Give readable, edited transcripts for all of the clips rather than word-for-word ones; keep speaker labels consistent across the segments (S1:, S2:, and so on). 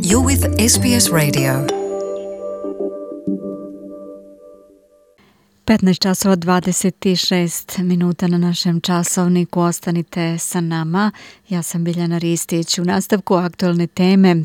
S1: You're with SBS Radio. 15 časova 26 minuta na našem časovniku. Ostanite sa nama. Ja sam Biljana Ristić. U nastavku aktualne teme.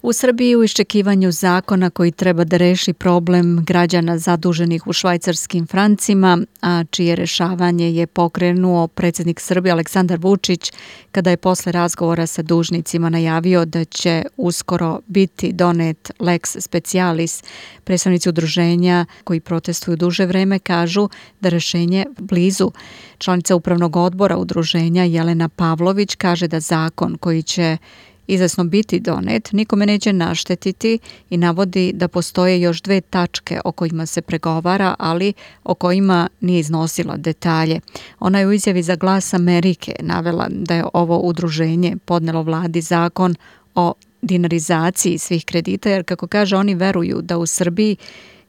S1: U Srbiji u iščekivanju zakona koji treba da reši problem građana zaduženih u švajcarskim francima, a čije rešavanje je pokrenuo predsjednik Srbije Aleksandar Vučić kada je posle razgovora sa dužnicima najavio da će uskoro biti donet lex specialis. Predstavnici udruženja koji protestuju duže vreme kažu da rešenje blizu. Članica upravnog odbora udruženja Jelena Pavlović kaže da zakon koji će izvesno biti donet nikome neće naštetiti i navodi da postoje još 2 tačke o kojima se pregovara, ali o kojima nije iznosila detalje. Ona je u izjavi za Glas Amerike navela da je ovo udruženje podnelo vladi zakon o dinarizaciji svih kredita, jer kako kaže oni veruju da u Srbiji,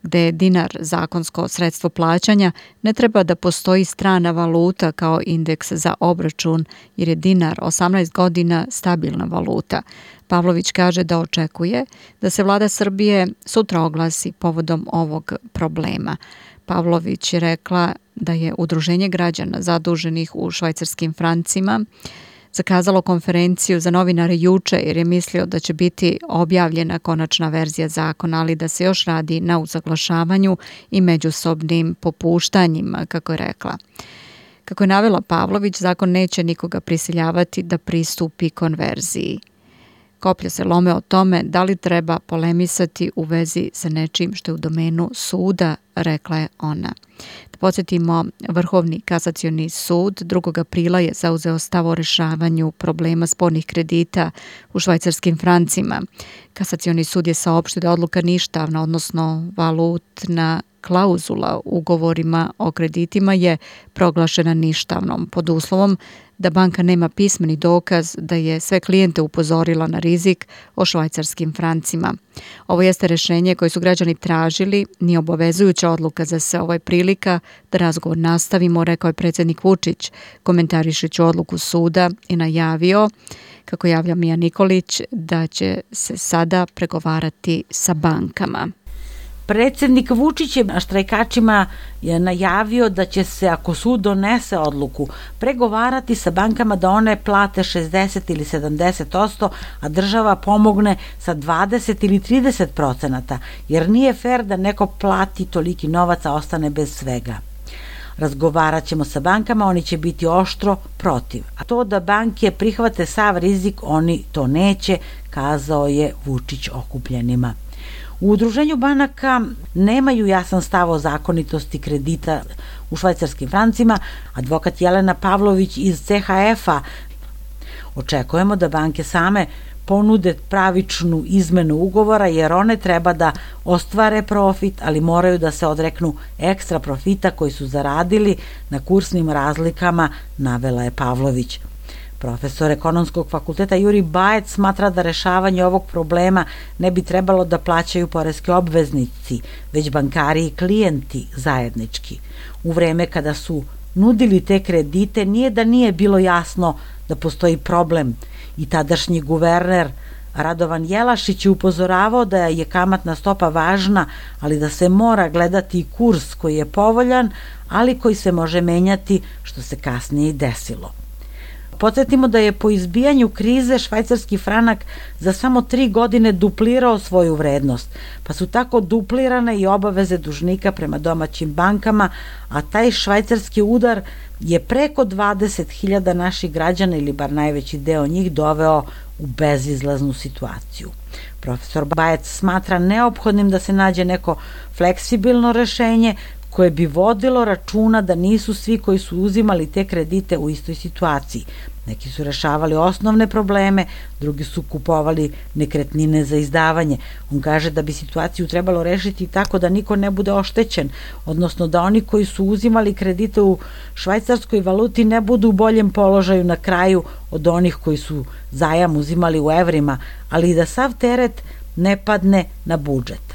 S1: gde je dinar zakonsko sredstvo plaćanja, ne treba da postoji strana valuta kao indeks za obračun, jer je dinar 18 godina stabilna valuta. Pavlović kaže da očekuje da se vlada Srbije sutra oglasi povodom ovog problema. Pavlović je rekla da je udruženje građana zaduženih u švajcarskim francima zakazalo konferenciju za novinare juče jer je mislio da će biti objavljena konačna verzija zakona, ali da se još radi na usaglašavanju i međusobnim popuštanjima, kako je rekla. Kako je navela Pavlović, zakon neće nikoga prisiljavati da pristupi konverziji. Koplja se lome o tome da li treba polemisati u vezi sa nečim što je u domenu suda, rekla je ona. Da podsjetimo, Vrhovni kasacioni sud 2. aprila je zauzeo stav o rešavanju problema spornih kredita u švajcarskim francima. Kasacioni sud je saopštio da odluka ništavna, odnosno valutna klauzula u ugovorima o kreditima je proglašena ništavnom pod uslovom da banka nema pismeni dokaz da je sve klijente upozorila na rizik o švajcarskim francima. Ovo jeste rešenje koje su građani tražili, nije obavezujuća odluka za sve. Ovo je prilika da razgovor nastavimo, rekao je predsjednik Vučić, komentarišući odluku suda i najavio, kako javlja Mija Nikolić, da će se sada pregovarati sa bankama.
S2: Predsjednik Vučić je štrajkačima najavio da će se, ako sud donese odluku, pregovarati sa bankama da one plate 60 ili 70%, a država pomogne sa 20 ili 30%, jer nije fer da neko plati toliki novac, a ostane bez svega. Razgovarat ćemo sa bankama, oni će biti oštro protiv. A to da banke prihvate sav rizik, oni to neće, kazao je Vučić okupljenima. U udruženju banaka nemaju jasan stav o zakonitosti kredita u švajcarskim francima. Advokat Jelena Pavlović iz CHF-a: očekujemo da banke same ponude pravičnu izmenu ugovora, jer one treba da ostvare profit, ali moraju da se odreknu ekstra profita koji su zaradili na kursnim razlikama, navela je Pavlović. Profesor Ekonomskog fakulteta Juri Bajec smatra da rešavanje ovog problema ne bi trebalo da plaćaju poreski obveznici, već bankari i klijenti zajednički. U vreme kada su nudili te kredite, nije da nije bilo jasno da postoji problem i tadašnji guverner Radovan Jelašić je upozoravao da je kamatna stopa važna, ali da se mora gledati i kurs koji je povoljan, ali koji se može menjati, što se kasnije i desilo. Podsjetimo da je po izbijanju krize švajcarski franak za samo 3 godine duplirao svoju vrednost, pa su tako duplirane i obaveze dužnika prema domaćim bankama, a taj švajcarski udar je preko 20.000 naših građana, ili bar najveći deo njih, doveo u bezizlaznu situaciju. Profesor Bajec smatra neophodnim da se nađe neko fleksibilno rešenje koje bi vodilo računa da nisu svi koji su uzimali te kredite u istoj situaciji. Neki su rešavali osnovne probleme, drugi su kupovali nekretnine za izdavanje. On kaže da bi situaciju trebalo rešiti tako da niko ne bude oštećen, odnosno da oni koji su uzimali kredite u švajcarskoj valuti ne budu u boljem položaju na kraju od onih koji su zajam uzimali u evrima, ali i da sav teret ne padne na budžet.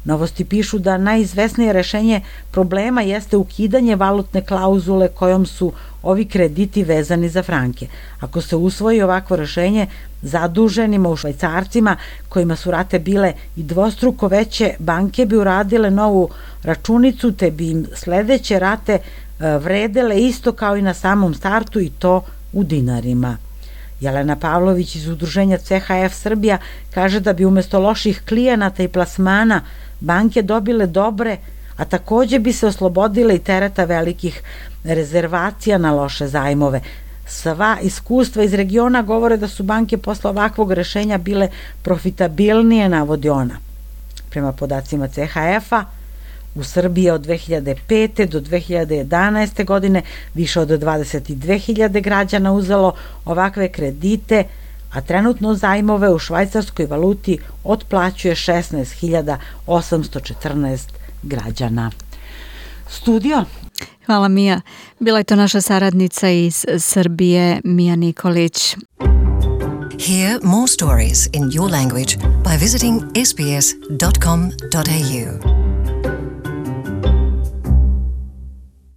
S2: Novosti pišu da najizvesnije rešenje problema jeste ukidanje valutne klauzule kojom su ovi krediti vezani za franke. Ako se usvoji ovakvo rešenje, zaduženima u švajcarcima, kojima su rate bile i dvostruko veće, banke bi uradile novu računicu, te bi im sledeće rate vredele isto kao i na samom startu, i to u dinarima. Jelena Pavlović iz udruženja CHF Srbija kaže da bi umesto loših klijenata i plasmana banke dobile dobre, a takođe bi se oslobodile i tereta velikih rezervacija na loše zajmove. Sva iskustva iz regiona govore da su banke posle ovakvog rešenja bile profitabilnije, navodi ona. Prema podacima CHF-a, u Srbiji od 2005. do 2011. godine više od 22.000 građana uzelo ovakve kredite, a trenutno zajmove u švajcarskoj valuti otplaćuje 16.814 građana. Studio.
S1: Hvala, Mija. Bila je to naša saradnica iz Srbije, Mija Nikolić.
S3: Hear more stories in your language by visiting sbs.com.au.